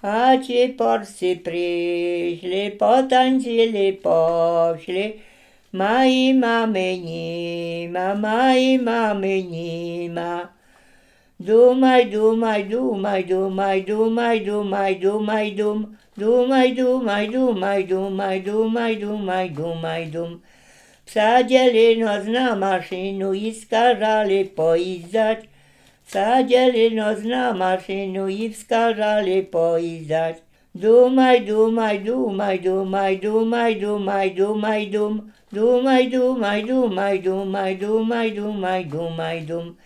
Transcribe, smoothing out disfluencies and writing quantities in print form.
A ce porse prišli, potančili pošli, mají mameníma, mají mameníma. Dumaj, dumaj, dumaj, dumaj, dumaj, dumaj, dumaj, dum, dumaj, dumaj, dumaj, dumaj, dumaj, dumaj, dumaj, dum. Vsadili nos na mašinu i skazali pojízdať, vsadili nos na mašinu i skazali pojízdať. Dumaj, dumaj, dumaj, dumaj, dumaj, dumaj, dumaj, dum, dumaj, dumaj, dumaj, dumaj, dumaj, dumaj, dumaj, dum.